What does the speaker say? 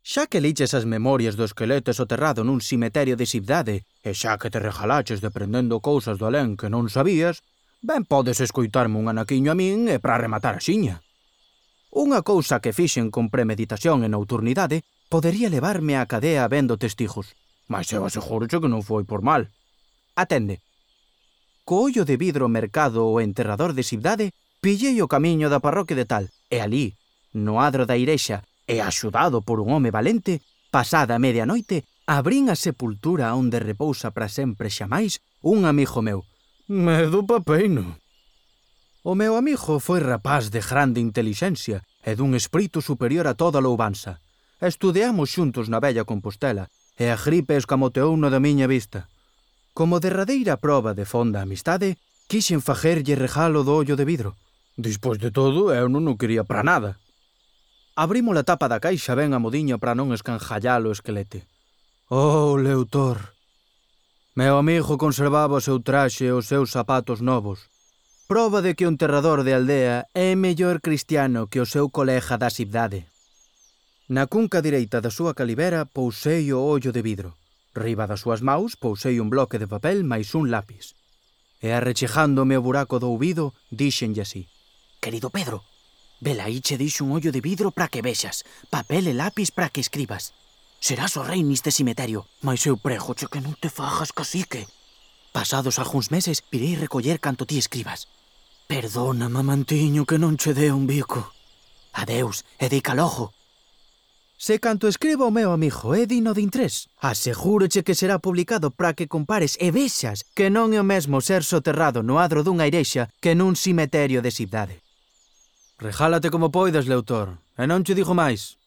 Xa que liches as memorias do esqueleto soterrado nun cemiterio de Cibdade, e xa que te regalaches deprendendo cousas do alén que non sabías, ben podes escoitarme un anaquiño a min e para rematar a xiña. Unha cousa que fixen con premeditación e nocturnidade podería levarme á cadea vendo testigos, mas eu asegúroche que non foi por mal. Atende. Co ollo de vidro mercado o enterrador de Cibdade, pillei o camiño da parroquia de tal, e ali, no adro da irexa, e axudado por un home valente, pasada a medianoite, abrín a sepultura onde repousa para sempre xamais un amigo meu. Medo papeino. O meu amigo foi rapaz de grande intelixencia e dun espírito superior a toda louvanza. Estudeamos xuntos na vella Compostela e a gripe escamoteuno da miña vista. Como derradeira proba de fonda amistade, quixen facerlle regalo do ollo de vidro. Despois de todo, eu non o quería para nada. Abrimos a tapa da caixa ben a modiña para non escanjallalo o esquelete. Oh, Leutor! Meu amigo conservaba o seu traxe e os seus zapatos novos. Proba de que o enterrador de aldea é mellor cristiano que o seu colega da Cibdade. Na cunca direita da súa calibera pousei o ollo de vidro. Riba das súas maus pousei un bloque de papel máis un lápis. E arrechejándome o buraco do ouvido, díxenlle así. Querido Pedro, vela aí che dixo un ollo de vidro para que vexas, papel e lápis para que escribas. Serás o rei neste cemiterio, mas eu prégoche que non te fajas cacique. Pasados algúns meses, irei recoller canto ti escribas. Perdona, mamantiño, que non che dé un bico. Adeus, e dica logo. Se canto escriba o meu amigo é digno de interés, asegúroche que será publicado para que compares e vexas que non é o mesmo ser soterrado no adro dunha irexa que nun cemiterio de Cibdade. Regálate como poidas, Leutor, e non che digo máis.